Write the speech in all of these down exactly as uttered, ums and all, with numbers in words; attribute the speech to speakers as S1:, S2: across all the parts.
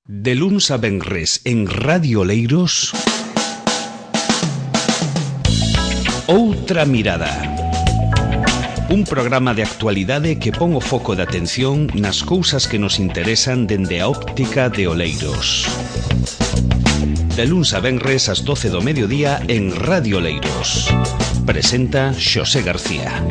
S1: De luns a venres en Radio Oleiros, Outra Mirada. Un programa de actualidade que pon o foco de atención nas cousas que nos interesan dende a óptica de Oleiros. De luns a venres ás doce do mediodía en Radio Oleiros. Presenta Xosé García.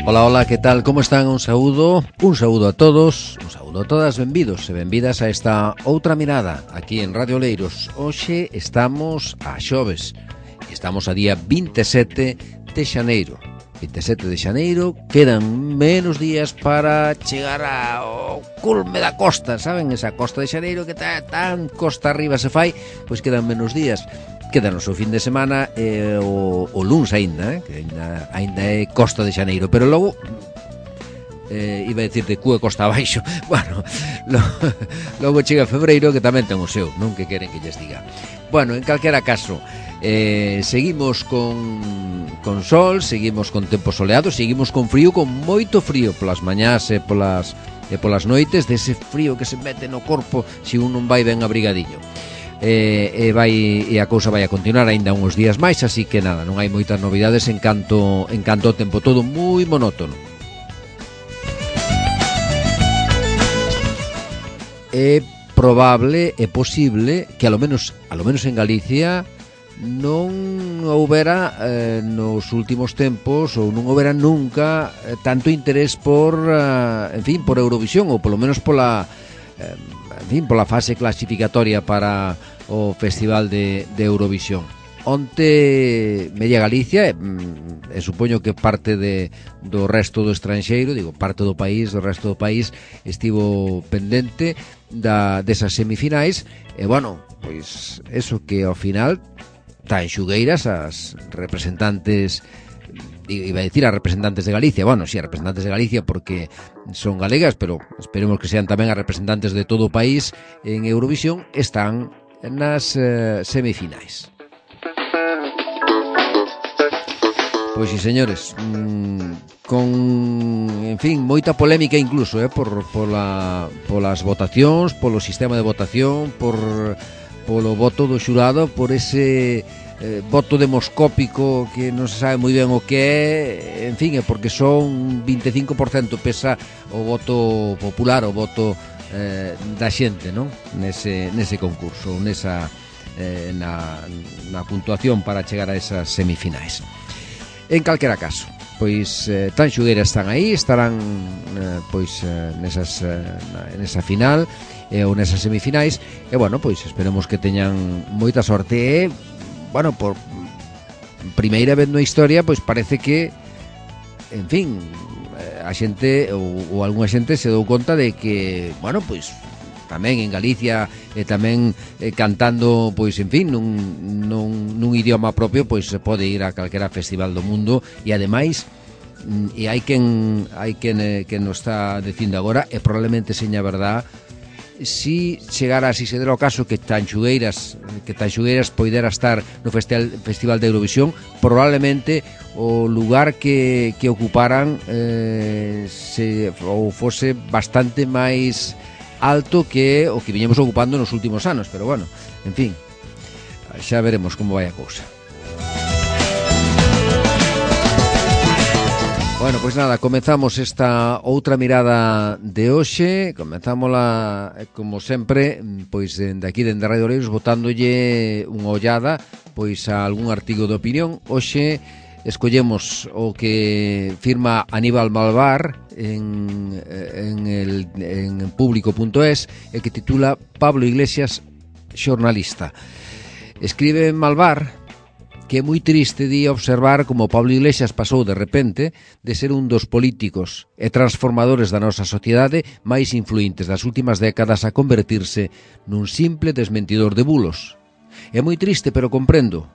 S2: Ola, ola, que tal? Como están? Un saúdo, un saúdo a todos, un saúdo a todas, benvidos e benvidas a esta Outra Mirada aquí en Radio Oleiros. Hoxe estamos a xoves, estamos a día vinte e sete de xaneiro. vinte e sete de xaneiro, quedan menos días para chegar ao culme da costa, saben? Esa costa de xaneiro que tá tan costa arriba se fai, pois quedan menos días. Quédanos o fin de semana e eh, o, o luns aínda, eh, que aínda, aínda é costa de xaneiro, pero logo eh, iba a decir de cúa costa abaixo. Bueno, lo, logo chega febreiro, que tamén ten o seu, non que queren que lles diga. Bueno, en calquera caso, eh, seguimos con con sol, seguimos con tempo soleado, seguimos con frío, con moito frío polas mañás e polas e polas noites, dese frío que se mete no corpo se un non vai ben abrigadillo. E, e, vai, e a cousa vai a continuar aínda uns días máis, así que nada, non hai moitas novidades en canto, en canto o tempo, todo moi monótono. É probable, é posible que a lo menos, a lo menos en Galicia non houbera eh, nos últimos tempos ou non houbera nunca eh, tanto interés por, eh, en fin, por Eurovisión, ou polo menos pola eh, en fin, pola fase clasificatoria para o Festival de, de Eurovisión. Onte media Galicia e, e supoño que parte de, do resto do estranxeiro, digo, parte do país, do resto do país estivo pendente da, desas semifinais e, bueno, pois eso que ao final tan xugueiras as representantes, iba a decir a representantes de Galicia, bueno, sí, a representantes de Galicia porque son galegas, pero esperemos que sean tamén a representantes de todo o país en Eurovisión, están nas eh, semifinais. Pois sí, señores, mmm, con, en fin, moita polémica incluso, eh, por, pola, polas votacións, polo sistema de votación, por, polo voto do xurado, por ese eh, voto demoscópico que non se sabe moi ben o que é, en fin, é porque son vinte e cinco por cento pesa o voto popular, o voto eh, da xente, non? Nese, nese concurso, nesa, eh, na, na puntuación para chegar a esas semifinais. En calquera caso, pois eh, tan xugueiras están aí, estarán eh, pois eh, nesas, eh, nesa final eh, ou nesas semifinais e bueno, pois esperemos que teñan moita sorte e bueno, por primeira vez na historia, pois parece que, en fin, a xente ou, ou algunha xente se dou conta de que, bueno, pois tamén en Galicia e tamén eh, cantando, pois, en fin, nun, nun, nun idioma propio, pois se pode ir a calquera festival do mundo e ademais e hai quen hai quen eh, que nos está dicindo agora e probablemente seña verdad. Si chegara, si se dera o caso que Tanxugueiras que Tanxugueiras poidera estar no festival, festival de Eurovisión, probablemente o lugar que, que ocuparan eh, se, ou fose bastante máis alto que o que viñemos ocupando nos últimos anos, pero bueno, en fin, xa veremos como vai a cousa. Bueno, pois nada, comezamos esta outra mirada de hoxe. Comenzámola, como sempre, pois dende aquí, dende Radio Oleiros, botándolle unha ollada pois a algún artigo de opinión. Hoxe escollemos o que firma Aníbal Malvar en, en, el, en público punto es e que titula Pablo Iglesias, xornalista. Escribe Malvar que é moi triste de observar como Pablo Iglesias pasou de repente de ser un dos políticos e transformadores da nosa sociedade máis influentes das últimas décadas a convertirse nun simple desmentidor de bulos. É moi triste, pero comprendo.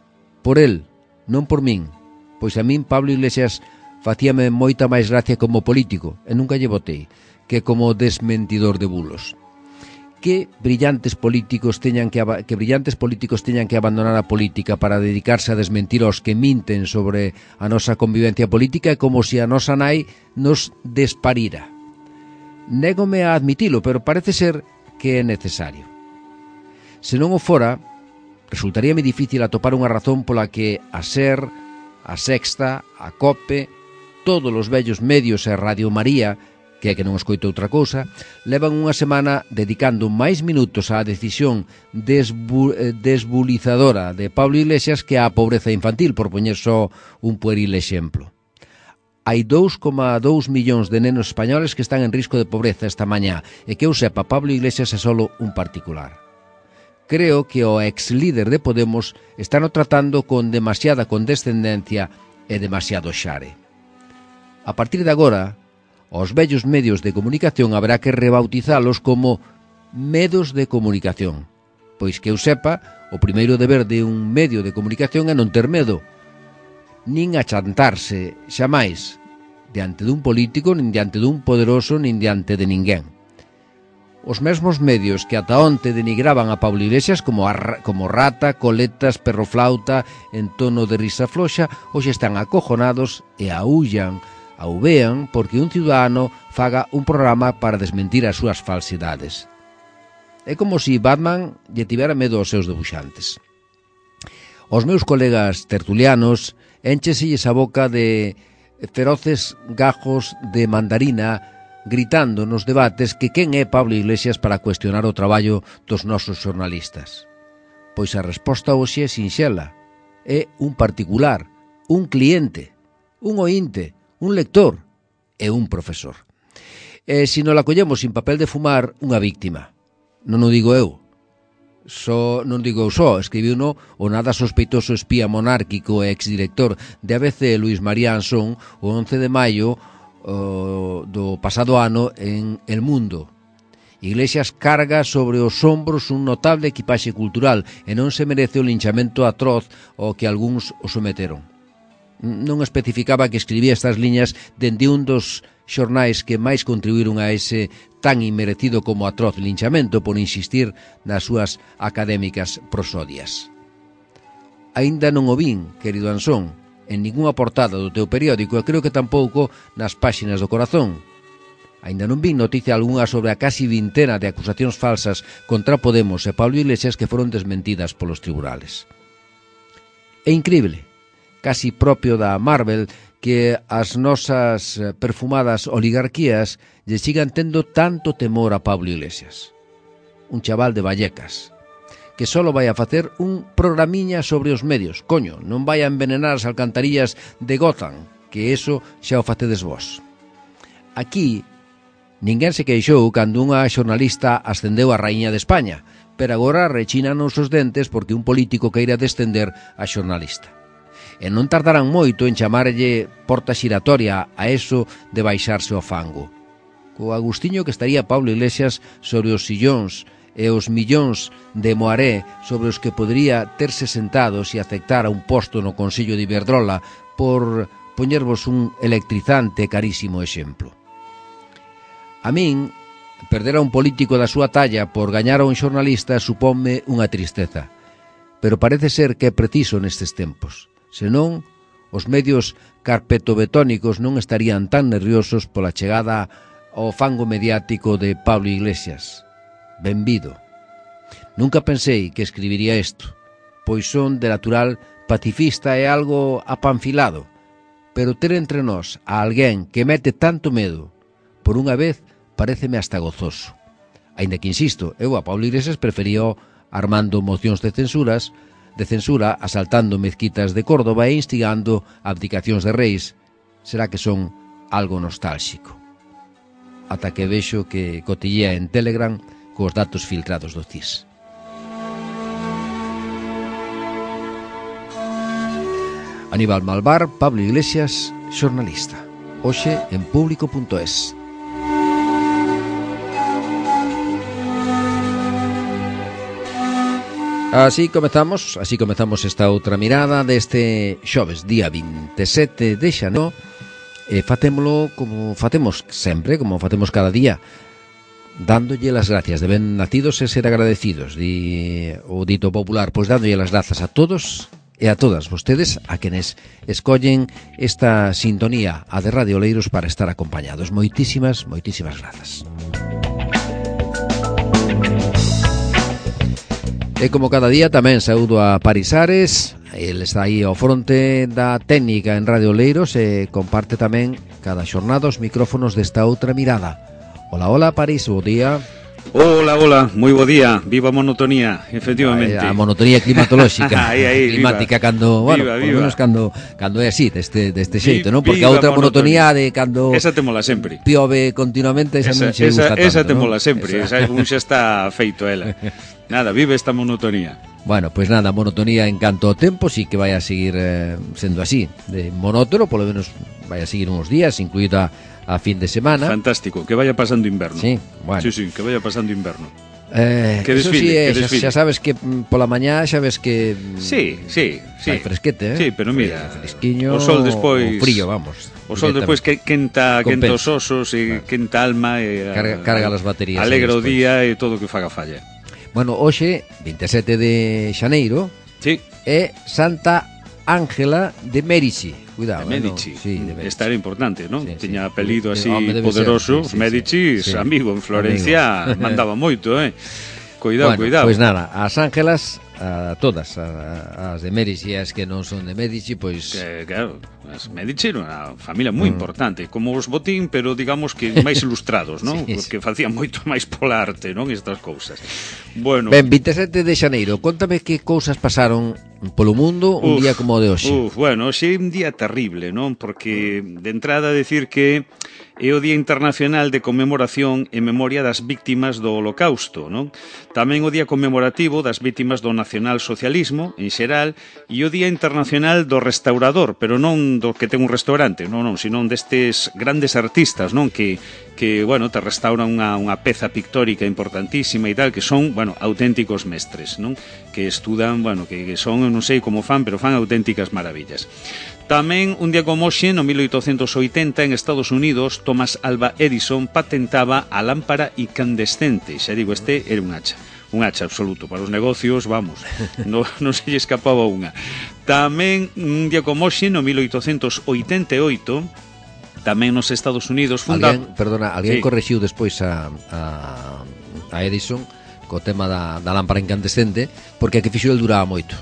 S2: Por el, non por min, pois a min Pablo Iglesias facíame moita máis gracia como político, e nunca lle votei, que como desmentidor de bulos. que brillantes políticos teñan que, que brillantes políticos teñan que abandonar a política para dedicarse a desmentir aos que minten sobre a nosa convivencia política é como se a nosa nai nos desparira. Négome a admitilo, pero parece ser que é necesario. Se non o fora, resultaríame difícil atopar unha razón pola que a SER, a Sexta, a COPE, todos os vellos medios e Radio María, que é que non escoito outra cousa, levan unha semana dedicando máis minutos á decisión desbu desbulizadora de Pablo Iglesias que á pobreza infantil, por poñer só un pueril exemplo. Hai dous coma dous millóns de nenos españoles que están en risco de pobreza esta mañá e que eu sepa, Pablo Iglesias é solo un particular. Creo que o ex-líder de Podemos está no tratando con demasiada condescendencia e demasiado xare. A partir de agora, os vellos medios de comunicación haberá que rebautizalos como medos de comunicación, pois que eu sepa, o primeiro deber de un medio de comunicación é non ter medo, nin achantarse, xamais, diante dun político, nin diante dun poderoso, nin diante de ninguén. Os mesmos medios que ata onte denigraban a Pablo Iglesias como, a, como rata, coletas, perroflauta, en tono de risa floxa, hoxe están acojonados e aullan, auvean, porque un ciudadano faga un programa para desmentir as súas falsidades. É como se Batman lle tivera medo aos seus debuxantes. Os meus colegas tertulianos éncheselles a boca de feroces gajos de mandarina gritando nos debates que quen é Pablo Iglesias para cuestionar o traballo dos nosos xornalistas. Pois a resposta hoxe é sinxela. É un particular, un cliente, un oínte, un lector e un profesor. E se non la collemos sin papel de fumar, unha víctima. Non o digo eu. So, non digo eu só, escribiu no o nada sospeitoso espía monárquico e exdirector de A B C, Luis María Ansón, o once de maio o, do pasado ano en El Mundo. Iglesias carga sobre os ombros un notable equipaxe cultural e non se merece o linchamento atroz ao que algúns o someteron. Non especificaba que escribía estas liñas dende un dos xornais que máis contribuíron a ese tan inmerecido como atroz linchamento por insistir nas súas académicas prosodias. Aínda non o vin, querido Ansón, en ningunha portada do teu periódico e creo que tampouco nas páxinas do Corazón. Aínda non vin noticia algunha sobre a casi vintena de acusacións falsas contra Podemos e Pablo Iglesias que foron desmentidas polos tribunales. É incrible, casi propio da Marvel, que as nosas perfumadas oligarquías lle sigan tendo tanto temor a Pablo Iglesias. Un chaval de Vallecas, que solo vai a facer un programiña sobre os medios. Coño, non vai a envenenar as alcantarillas de Gotham, que eso xa o facedes vos. Aquí, ninguén se queixou cando unha xornalista ascendeu a raíña de España, pero agora rechinan os dentes porque un político queira descender a xornalista. E non tardarán moito en chamarlle porta xiratoria a eso de baixarse ao fango. Co agustiño que estaría Pablo Iglesias sobre os sillóns e os millóns de moaré sobre os que podría terse sentado se aceptara un posto no Consello de Iberdrola, por poñervos un electrizante e carísimo exemplo. A min, perder a un político da súa talla por gañar a un xornalista supónme unha tristeza, pero parece ser que é preciso nestes tempos. Senón, os medios carpetobetónicos non estarían tan nerviosos pola chegada ao fango mediático de Pablo Iglesias. Benvido. Nunca pensei que escribiría isto, pois son de natural pacifista e algo apanfilado, pero ter entre nós a alguén que mete tanto medo, por unha vez, paréceme hasta gozoso. Aínda que, insisto, eu a Pablo Iglesias preferío armando mocións de censuras, de censura, asaltando mezquitas de Córdoba e instigando abdicacións de reis. Será que son algo nostálxico. Ata que vexo que cotillea en Telegram cos datos filtrados do C I S. Aníbal Malvar, Pablo Iglesias, xornalista. Hoxe en público punto es. Así comezamos, así comezamos esta outra mirada deste xoves, día vinte e sete de xaneiro, e fatémolo como facemos sempre, como facemos cada día, dándolle las gracias, de ben nacidos e ser agradecidos, di o dito popular, pois dándolle las grazas a todos e a todas vostedes a quenes escollen esta sintonía, a de Radio Oleiros, para estar acompañados. Moitísimas, moitísimas grazas. E como cada día tamén saúdo a Paris Ares. El está aí ao fronte da técnica en Radio Oleiros e comparte tamén cada xornada os micrófonos desta outra mirada. Hola, hola, Paris, bo día.
S3: Hola, hola, moi bo día. Viva a monotonía, efectivamente.
S2: A monotonía climatolóxica.
S3: Aí, aí,
S2: climática
S3: viva.
S2: cando, bueno,
S3: viva,
S2: por
S3: viva.
S2: menos cando cando é así, deste deste xeito,
S3: Vi,
S2: non? Porque a outra monotonía, monotonía de cando
S3: esa temola sempre.
S2: Piove continuamente, esa, esa non che
S3: gusta
S2: tanto,
S3: esa temola
S2: ¿no?
S3: sempre, esa, esa un xa está feito ela. Nada, vive esta monotonía.
S2: Bueno, pues nada, monotonía en canto ao tempo, sí que vai a seguir eh, sendo así, de monótono, polo menos vai a seguir uns días, incluída a fin de semana.
S3: Fantástico, que vaya pasando inverno.
S2: Sí, bueno.
S3: Sí, sí, que vaya pasando inverno.
S2: Eh,
S3: que
S2: eso
S3: desfile,
S2: sí, eh,
S3: que
S2: xa,
S3: desfile.
S2: xa sabes que mm, pola mañá xa ves que mm,
S3: Sí, sí, sí.
S2: Vai fresquete, eh?
S3: Sí, pero mira,
S2: fresquiño,
S3: o sol despois,
S2: o frío, vamos.
S3: O sol despois que quenta, quenta os osos e
S2: claro.
S3: quenta a alma e
S2: carga, carga as baterías.
S3: Alegra o día e todo o que faga falla.
S2: Bueno, hoxe, veintisiete de xaneiro,
S3: sí.
S2: é Santa Ángela de Medici. Cuidado,
S3: de Medici.
S2: Eh, no? Sí, de Medici.
S3: Esta era importante, ¿no?
S2: Sí,
S3: Tiña
S2: sí.
S3: apelido así
S2: Home,
S3: poderoso.
S2: ser, sí, sí,
S3: Medici,
S2: sí.
S3: amigo en Florencia, amigo. Mandaba moito, eh. Cuidado,
S2: bueno,
S3: cuidado.
S2: Pois pues nada, as Ángelas, a todas, a, as de Medici, as que non son de Medici, pois...
S3: Eh, claro, as Medici era unha familia moi mm. importante, como os Botín, pero digamos que máis ilustrados, non? Sí, porque sí. facían moito máis pola arte, non? Estas cousas. Bueno.
S2: Ben, veintisiete de xaneiro, contame que cousas pasaron polo mundo un uf, día como o de hoxe.
S3: Uf, bueno, hoxe é un día terrible, non? Porque de entrada decir que é o Día Internacional de Conmemoración e Memoria das Víctimas do Holocausto, non? Tamén o Día Conmemorativo das Víctimas do Nacionalsocialismo, en xeral, e o Día Internacional do Restaurador, pero non do que ten un restaurante, non, non, sino destes grandes artistas, non? Que, que bueno, te restauran unha, unha peza pictórica importantísima e tal, que son, bueno, auténticos mestres, non? Que estudan, bueno, que, que son, non sei como fan, pero fan auténticas maravillas. Tamén, un día como hoxe, no mil oitocentos oitenta, en Estados Unidos, Thomas Alva Edison patentaba a lámpara incandescente. Xa digo, este era un hacha. Un hacha absoluto. Para os negocios, vamos, non, non se lle escapaba unha. Tamén, un día como hoxe, no mil oitocentos oitenta e oito, tamén nos Estados Unidos funda...
S2: Alguén, perdona, alguén
S3: sí.
S2: correxiu despois a, a, a Edison co tema da, da lámpara incandescente, porque a que fixo el duraba moito.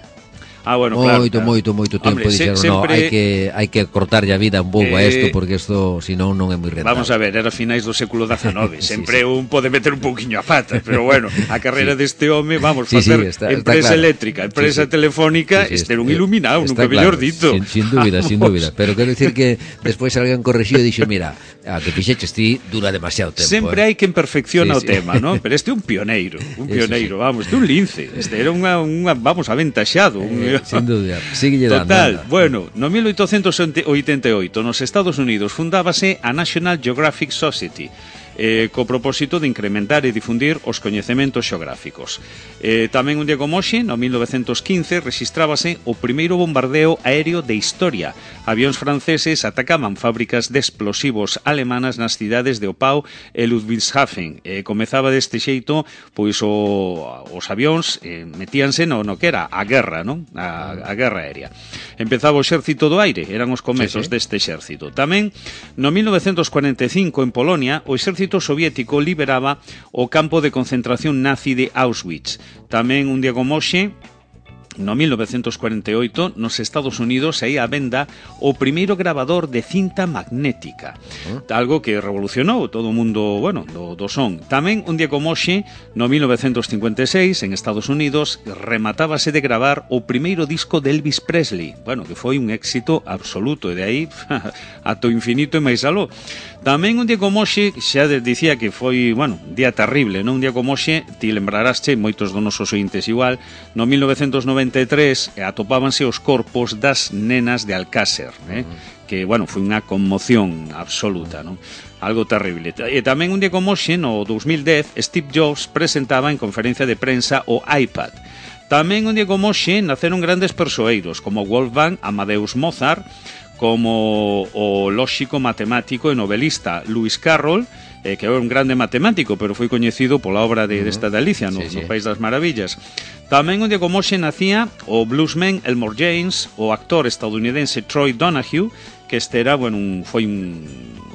S3: Ah, bueno,
S2: moito,
S3: claro,
S2: moito,
S3: claro.
S2: moito, moito tempo.
S3: Hombre,
S2: dixeron,
S3: se,
S2: no,
S3: sempre...
S2: hai que hai que cortarlle a vida un pouco
S3: eh,
S2: a isto, porque isto, senón, non é moi rentable.
S3: Vamos a ver, era finais do século dezenove.
S2: sí,
S3: Sempre
S2: sí.
S3: un pode meter un pouquiño a pata, pero bueno, a carreira sí. deste home, vamos,
S2: sí,
S3: facer
S2: sí, está,
S3: empresa
S2: está claro.
S3: eléctrica, empresa sí, sí. telefónica, sí, sí, este era un iluminado, nunca claro. mellor dito.
S2: Sin, sin dúbida, sin dúbida. Pero quero dicir que despois alguén correxiu e dixo, mira, a que fixeches ti dura demasiado tempo.
S3: Sempre
S2: eh.
S3: hai quen perfecciona
S2: sí,
S3: o
S2: sí.
S3: tema, ¿no? Pero este é un pioneiro, un pioneiro, sí, sí. vamos, este é un lince. Este era unha, unha vamos, aventaxado.
S2: Eh, un... Sin dúbida, síguelle dando.
S3: Total, bueno, no mil oitocentos oitenta e oito nos Estados Unidos fundábase a National Geographic Society, eh, co propósito de incrementar e difundir os coñecementos xeográficos. Eh, tamén un día como hoxe, no mil novecentos quince, rexistrábase o primeiro bombardeo aéreo de historia. Avións franceses atacaban fábricas de explosivos alemanas nas cidades de Opau e Ludwigshafen. Eh, comezaba deste xeito, pois o, os avións eh, metíanse no, no que era a guerra, non? A, a guerra aérea. Empezaba o exército do aire, eran os comezos sí, sí. deste exército. Tamén, no mil novecentos cuarenta e cinco, en Polonia, o exército soviético liberaba o campo de concentración nazi de Auschwitz. Tamén un día como hoxe, no mil novecentos cuarenta e oito, nos Estados Unidos saía a venda o primeiro grabador de cinta magnética, algo que revolucionou todo o mundo, bueno, do, do son. Tamén un día como hoxe, no mil novecentos cincuenta e seis, en Estados Unidos, rematábase de gravar o primeiro disco de Elvis Presley, bueno, que foi un éxito absoluto, e de aí ata o infinito e máis aló. Tamén un día como hoxe, xa dicía que foi, bueno, un día terrible, non? Un día como hoxe, ti lembraraste, moitos dos nosos ointes igual, no mil novecentos noventa e tres atopábanse os corpos das nenas de Alcácer, eh? Uh-huh. Que, bueno, foi unha conmoción absoluta, non? Algo terrible. E tamén un día como hoxe, no dos mil dez, Steve Jobs presentaba en conferencia de prensa o iPad. Tamén un día como hoxe naceron grandes persoeiros, como Wolfgang Amadeus Mozart, como o lóxico matemático e novelista Lewis Carroll, eh, que é un grande matemático, pero foi coñecido pola obra de, desta de Alicia no,
S2: sí, sí.
S3: no País das Maravillas. Tamén un día como hoxe nacía o bluesman Elmore James, o actor estadounidense Troy Donahue, que este era, bueno, un, foi un,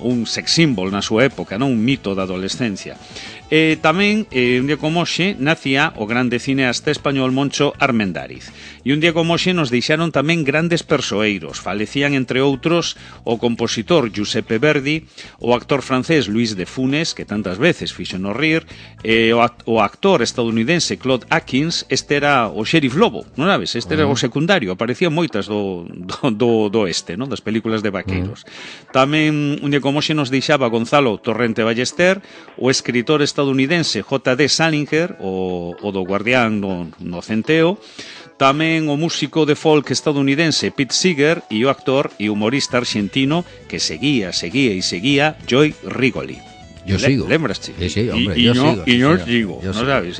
S3: un sex symbol na súa época, non? Un mito da adolescencia. E tamén, eh, un día como hoxe, nacía o grande cineasta español Moncho Armendáriz. E un día como hoxe nos deixaron tamén grandes persoeiros. Falecían, entre outros, o compositor Giuseppe Verdi, o actor francés Luis de Funes, que tantas veces fixo no rir, e o, act o actor estadounidense Claude Atkins, este era o Sheriff Lobo, non sabes? Este era o secundario, aparecían moitas do, do, do, do este, non? Das películas de vaqueiros. Uh-huh. Tamén, un día como hoxe, nos deixaba Gonzalo Torrente Ballester, o escritor estadounidense J D Salinger, o, o do Guardián no, no Centeo, tamén o músico de folk estadounidense Pete Seeger e o actor e humorista argentino que seguía, seguía e seguía Joey Rigoli.
S2: Yo Le sigo.
S3: Lembraste?
S2: Sí, sí, hombre,
S3: y,
S2: yo
S3: y no,
S2: sigo.
S3: E non
S2: sí,
S3: sigo,
S2: yo
S3: non
S2: sigo.
S3: sabes?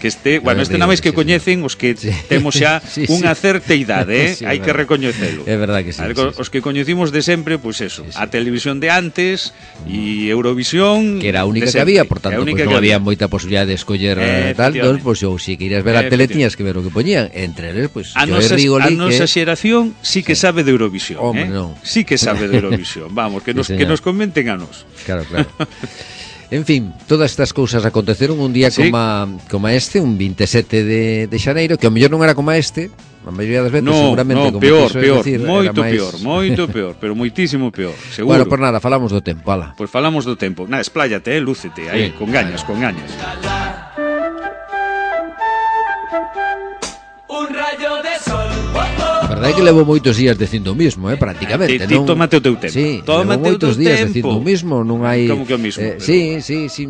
S3: Que este, bueno, este nada máis que
S2: sí,
S3: coñecen os que
S2: sí.
S3: temos xa
S2: sí,
S3: unha
S2: sí.
S3: certa idade, eh?
S2: Sí,
S3: hai que recoñecelo.
S2: É verdad que sí.
S3: Ver,
S2: sí,
S3: os
S2: sí.
S3: que coñecimos de sempre, pois pues eso,
S2: sí, sí.
S3: a televisión de antes e Eurovisión,
S2: que era a única
S3: de
S2: que había,
S3: sempre.
S2: por tanto,
S3: pues
S2: pues, non había moita posibilidad de escoller
S3: eh,
S2: tal, entón, pues, ou se querías ver a tele tiñas que ver o que poñían, entre eles, pues,
S3: a
S2: Joey
S3: nosa,
S2: Rigoli,
S3: a nosa
S2: que...
S3: xeración sí que
S2: sí.
S3: sabe de Eurovisión,
S2: Hombre,
S3: eh?
S2: non.
S3: Sí que sabe de Eurovisión. Vamos, que nos
S2: sí,
S3: que nos comenten a nos.
S2: Claro, claro. En fin, todas estas cousas aconteceron un día
S3: sí.
S2: como, a, como a este, un veintisiete de, de xaneiro, que ao mellor non era como a este, a maioría das veces
S3: no,
S2: seguramente
S3: no,
S2: como
S3: peor,
S2: quiso
S3: peor,
S2: decir,
S3: moito
S2: era máis...
S3: peor, moito peor, pero moitísimo peor, seguro.
S2: Bueno, por nada, falamos do tempo, ala.
S3: Pois pues falamos do tempo. Nada, espláyate, eh, lúcete, aí,
S2: Sí,
S3: con gañas, con gañas.
S4: Un rayo de sol.
S2: A verdade é que levo moitos días dicindo o mismo, eh, prácticamente.
S3: Ti, ti
S2: non...
S3: tómate o teu tempo.
S2: Sí,
S3: tómate
S2: levo moitos
S3: o teu
S2: días
S3: tempo.
S2: dicindo o mismo, non hai...
S3: Como que o mismo?
S2: Eh,
S3: Pero...
S2: sí, sí, sí,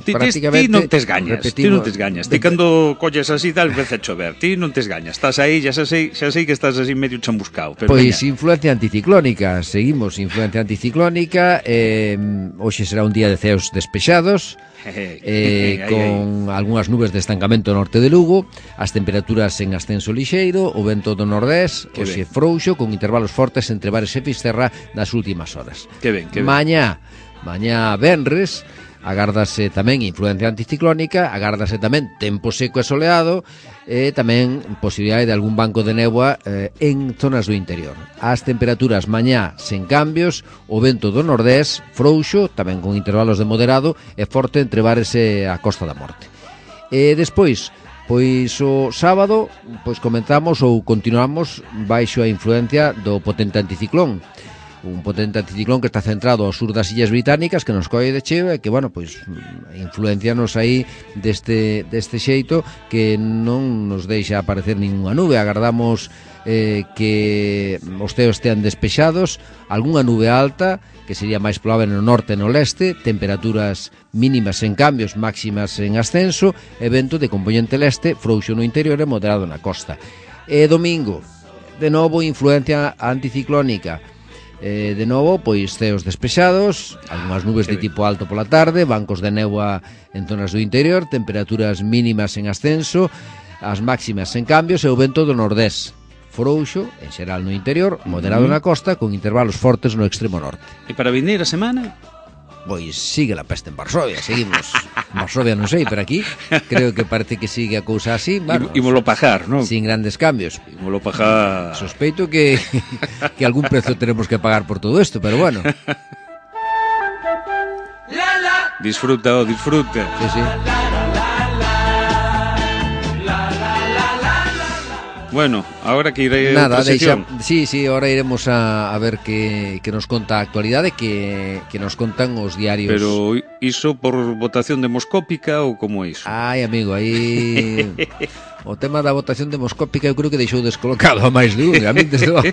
S3: Ti,
S2: prácticamente...
S3: ti non tes gañas,
S2: repetimos...
S3: ti non tes gañas. Ti cando colles así tal, vez a chover. Ti non tes gañas. Estás aí, xa sei, xa sei que estás así medio chambuscao. Pero
S2: Pois
S3: veña.
S2: influencia anticiclónica, seguimos influencia anticiclónica, eh, hoxe será un día de ceos despexados, eh, con algunhas nubes de estancamento no norte de Lugo, as temperaturas en ascenso lixeiro, o vento do nordés,
S3: Que
S2: hoxe
S3: ben.
S2: frouxo, con intervalos fortes entre Bares e Fisterra nas últimas horas.
S3: Que ben, que ben.
S2: Mañá, mañá venres, agárdase tamén influencia anticiclónica, agárdase tamén tempo seco e soleado, e tamén posibilidade de algún banco de néboa eh, en zonas do interior. As temperaturas mañá sen cambios, o vento do nordés frouxo, tamén con intervalos de moderado e forte entre Bares e a Costa da Morte. E despois, pois o sábado, pois comenzamos ou continuamos baixo a influencia do potente anticiclón. Un potente anticiclón que está centrado ao sur das Illas Británicas, que nos colle de cheo e que, bueno, pois influencianos aí deste, deste xeito que non nos deixa aparecer ninguna nube. Agardamos eh, que os ceos estean despexados, algunha nube alta, que sería máis probable no norte e no leste, temperaturas mínimas en cambios, máximas en ascenso, e vento de componente leste, frouxo no interior e moderado na costa. E domingo, de novo, influencia anticiclónica. Eh, de novo, pois ceos despexados, algunhas nubes de tipo alto pola tarde, bancos de néboa en zonas do interior, temperaturas mínimas en ascenso, as máximas en cambios e o vento do nordés. Frouxo, en xeral no interior, moderado na costa, con intervalos fortes no extremo norte.
S3: E para vindeira semana?
S2: Pois sigue la peste en Varsovia, seguimos. Varsovia non sei, pero aquí creo que parece que sigue a cousa así, bueno,
S3: Imolo pagar, non?
S2: sin grandes cambios.
S3: Imolo pagar.
S2: Sospeito que que algún precio tenemos que pagar por todo esto, pero bueno.
S3: Disfruta, oh, disfruta.
S2: Sí, sí.
S3: Bueno, ahora que iré
S2: Nada,
S3: a outra
S2: deixa,
S3: sección.
S2: sí, sí, ahora iremos a, a ver que, que nos conta a actualidade, que, que nos contan os diarios.
S3: Pero iso por votación demoscópica ou como é iso?
S2: Ai, amigo, aí o tema da votación demoscópica eu creo que deixou descolocado a máis de un. A min desde logo,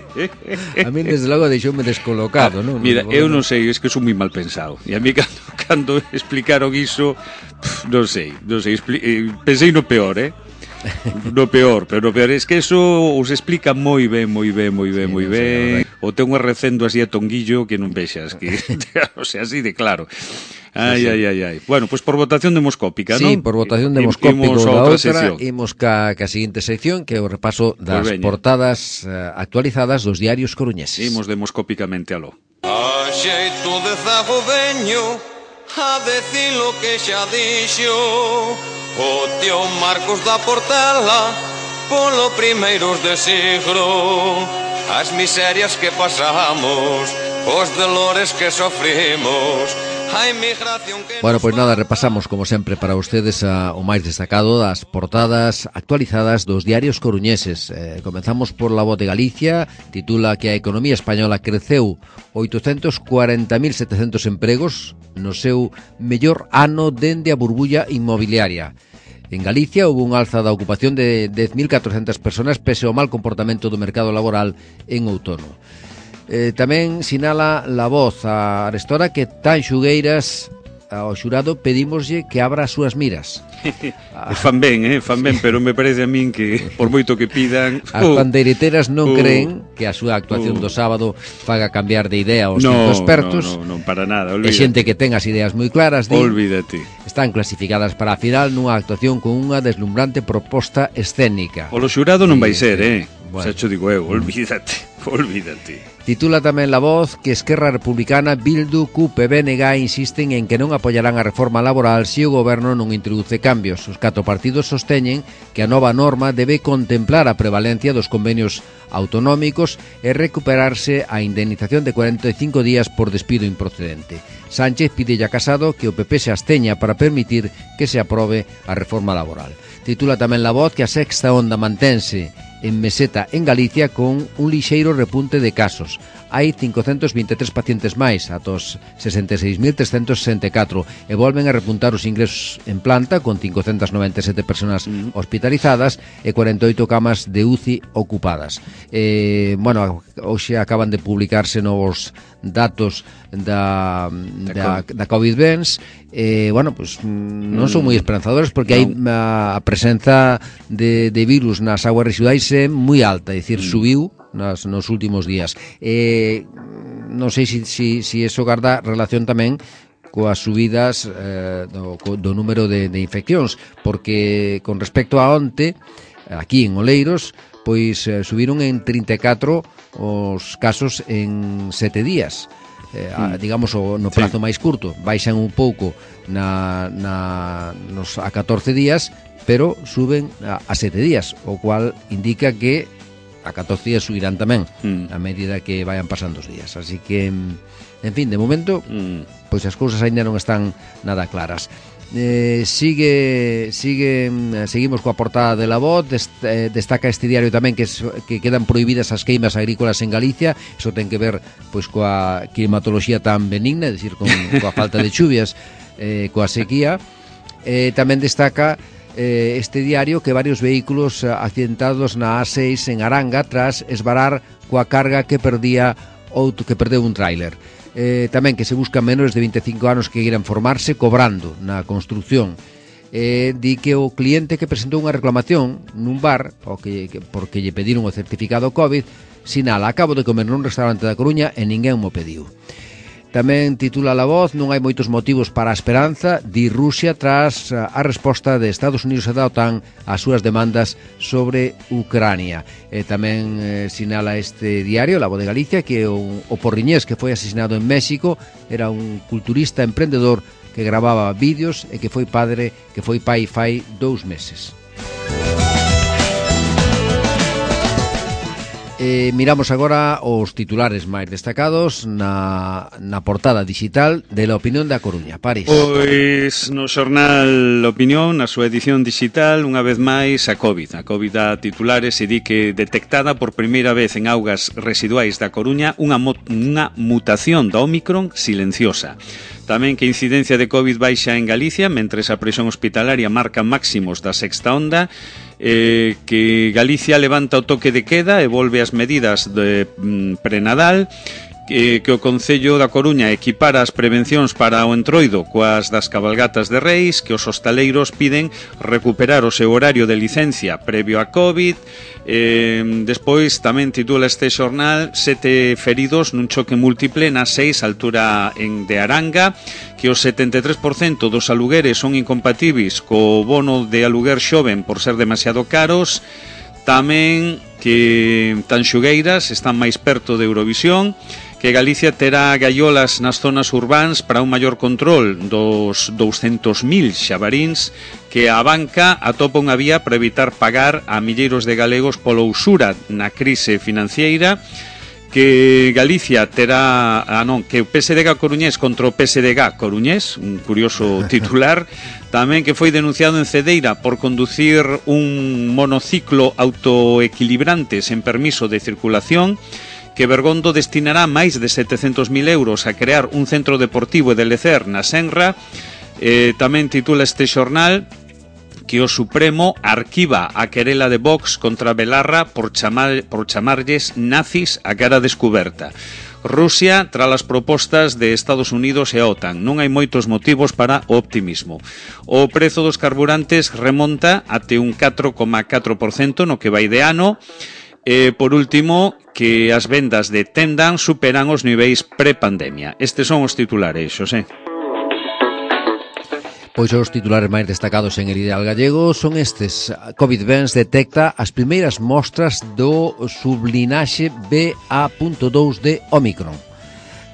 S2: a min desde logo deixoume descolocado, non?
S3: Mira, eu non sei, es que son moi mal pensado. E a mí cando, cando explicaron iso, pff, non sei, non sei, expli- eh, pensei no peor, eh? No peor, pero no peor es que eso os explica moi ben, moi ben, moi ben,
S2: Sí,
S3: moi
S2: non sei,
S3: ben. O ten un recendo así a tonguillo que non vexas, que o sea, así de claro. Ai,
S2: Sí, sí.
S3: ai, ai, ai. Bueno, pois pues por votación demoscópica,
S2: Sí,
S3: non?
S2: por votación
S3: I-
S2: demoscópica
S3: imos a
S2: da
S3: outra
S2: outra,
S3: sección.
S2: imos ca, ca seguinte sección, que é o repaso das
S3: veña.
S2: portadas uh, actualizadas dos diarios coruñeses.
S3: Imos demoscópicamente aló.
S4: A xeito de zago veño, a decir lo que xa dixo o tío Marcos da Portela polo primeiros de siglo. As miserias que pasamos, os dolores que sofrimos, a inmigración que...
S2: Bueno, pois pues nada, repasamos como sempre para ustedes a, o máis destacado das portadas actualizadas dos diarios coruñeses. Eh, comenzamos por La Voz de Galicia, titula que a economía española creceu oitocentos cuarenta mil setecentos empregos no seu mellor ano dende a burbulla inmobiliaria. En Galicia houve un alza da ocupación de dez mil catrocentas personas pese ao mal comportamento do mercado laboral en outono. Eh, tamén sinala La Voz a Arestora que tan xugueiras ao xurado pedímoslle que abra as súas miras.
S3: Fan ben, eh, fan ben, pero me parece a min que por moito que pidan...
S2: As
S3: uh,
S2: pandeireteras non
S3: uh,
S2: creen que a súa actuación
S3: uh,
S2: do sábado faga cambiar de idea aos
S3: no,
S2: cinco expertos.
S3: No, no, non, para nada,
S2: E
S3: olvídate.
S2: xente que ten as ideas moi claras, di,
S3: olvídate.
S2: Están clasificadas para a final nunha actuación con unha deslumbrante proposta escénica.
S3: O lo xurado non vai ser,
S2: sí.
S3: eh?
S2: Bueno.
S3: Xa cho digo eu, olvídate, olvídate.
S2: Titula tamén La Voz que Esquerra Republicana, Bildu, C U P e B N G insisten en que non apoiarán a reforma laboral se o goberno non introduce cambios. Os catro partidos sosteñen que a nova norma debe contemplar a prevalencia dos convenios autonómicos e recuperarse a indemnización de cuarenta e cinco días por despido improcedente. Sánchez pide a Casado que o P P se absteña para permitir que se aprobe a reforma laboral. Titula tamén La Voz que a sexta onda mantense en meseta en Galicia con un lixeiro repunte de casos. Hai cincocentos vinte e tres pacientes máis, atos sesenta e seis mil trescentos sesenta e catro, e volven a repuntar os ingresos en planta con cincocentas noventa e sete persoas hospitalizadas e cuarenta e oito camas de U C I ocupadas. Eh, bueno, hoxe acaban de publicarse novos datos da, da, da COVID vence. Eh, bueno, pues non son moi esperanzadores porque hai a, a presenza de, de virus nas aguas residuais é moi alta, é dicir, mm. subiu nas, nos últimos días. Eh, non sei se si, si, si eso garda relación tamén coas subidas eh, do, do número de, de infeccións, porque con respecto a onte, aquí en Oleiros, pois eh, subiron en trinta e catro os casos en sete días. Eh, a, digamos o, no prazo sí. máis curto baixan un pouco na, na, nos, a catorce días, pero suben a, a sete días, o cual indica que a catorce días subirán tamén mm. a medida que vayan pasando os días. Así que, en fin, de momento mm. pois as cousas ainda non están nada claras. Eh, sigue sigue seguimos coa portada de La Voz. Dest, eh, destaca este diario tamén que, es, que quedan prohibidas as queimas agrícolas en Galicia. Iso ten que ver pois coa climatoloxía tan benigna, é dicir, con coa falta de chuvias, eh, coa sequía. Eh, tamén destaca eh, este diario que varios vehículos accidentados na A seis en Aranga tras esvarar coa carga que perdía outro que perdeu un tráiler. Eh, tamén que se buscan menores de vinte e cinco anos que queiran formarse cobrando na construcción. Eh, di que o cliente que presentou unha reclamación nun bar o que, que, porque lle pediron o certificado COVID sinala: acabo de comer nun restaurante da Coruña e ninguén mo pediu. Tamén titula La Voz: non hai moitos motivos para a esperanza, di Rusia tras a resposta de Estados Unidos e da OTAN ás súas demandas sobre Ucrania. E tamén eh, sinala este diario, La Voz de Galicia, que o, o porriñés que foi asesinado en México era un culturista emprendedor que gravaba vídeos e que foi padre, que foi pai fai dous meses. Eh, miramos agora os titulares máis destacados na, na portada digital de La Opinión da Coruña. París.
S3: Pois no xornal Opinión, na súa edición digital, unha vez máis a COVID. A COVID dá titulares e di que detectada por primeira vez en augas residuais da Coruña unha, unha mutación da Ómicron silenciosa. Tamén que a incidencia de COVID baixa en Galicia, mentres a presión hospitalaria marca máximos da sexta onda, eh, que Galicia levanta o toque de queda e volve as medidas de mm, prenadal, que, que o Concello da Coruña equipara as prevencións para o entroido coas das cabalgatas de Reis, que os hostaleiros piden recuperar o seu horario de licencia previo a COVID. Eh, despois tamén titula este xornal: sete feridos nun choque múltiple na seis altura en de Aranga, que o setenta e tres por cento dos alugueres son incompatibles co bono de aluguer xoven por ser demasiado caros. Tamén que Tanxugueiras están máis perto de Eurovisión, que que Galicia terá gaiolas nas zonas urbáns para un maior control dos douscentos mil xabaríns que a banca atopa unha vía para evitar pagar a milleiros de galegos pola usura na crise financiera, que Galicia terá, ah non, que o P S D G coruñés contra o P S D G coruñés, un curioso titular, tamén que foi denunciado en Cedeira por conducir un monociclo autoequilibrante sen permiso de circulación, que Bergondo destinará máis de setecentos mil euros a crear un centro deportivo e de lecer na Senra. Eh, tamén titula este xornal que o Supremo arquiva a querela de Vox contra Belarra por, chamar, por chamarlles nazis a cara descuberta. Rusia, tras as propostas de Estados Unidos e a OTAN. Non hai moitos motivos para o optimismo. O prezo dos carburantes remonta até un catro coma catro por cento no que vai de ano. E, por último, que as vendas de Tendán superan os niveis pre-pandemia. Estes son os titulares, Xosé.
S2: Pois os titulares máis destacados en El Ideal Gallego son estes. COVID-Vens detecta as primeiras mostras do sublinaxe B A punto dous de Omicron.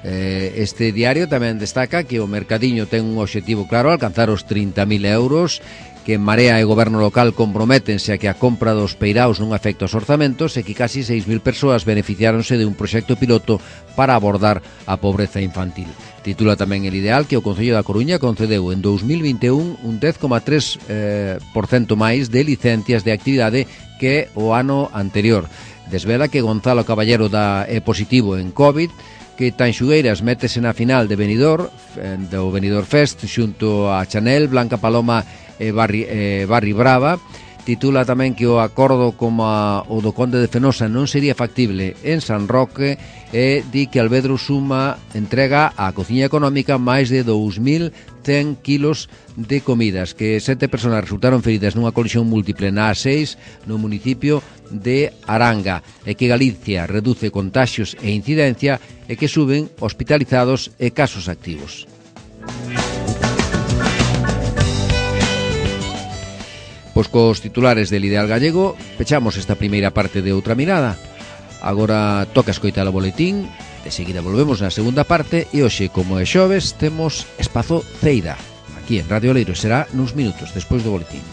S2: Este diario tamén destaca que o mercadiño ten un obxectivo claro, alcanzar os trinta mil euros, que Marea e Goberno local comprométense a que a compra dos peiraos non afecte aos orzamentos e que casi seis mil persoas beneficiáronse de un proxecto piloto para abordar a pobreza infantil. Titula tamén El Ideal que o Concello da Coruña concedeu en dous mil vinte e un un dez coma tres por cento máis de licencias de actividade que o ano anterior. Desvela que Gonzalo Caballero da é positivo en COVID, que Tanxugueiras métese na final de Benidorm, do Benidorm Fest, xunto a Chanel, Blanca Paloma e Barri, eh, Barri Brava. Titula tamén que o acordo como a, o do Conde de Fenosa non sería factible en San Roque e di que Albedro Suma entrega á cociña económica máis de dous mil cen kilos de comidas, que sete persoas resultaron feridas nunha colisión múltiple na A seis no municipio de Aranga, e que Galicia reduce contaxios e incidencia e que suben hospitalizados e casos activos. Pois cos titulares del Ideal Gallego pechamos esta primeira parte de Outra Mirada. Agora toca escoitar o boletín, de seguida volvemos na segunda parte e hoxe, como é xoves, temos Espazo Ceira. Aquí en Radio Oleiros será nuns minutos despois do boletín.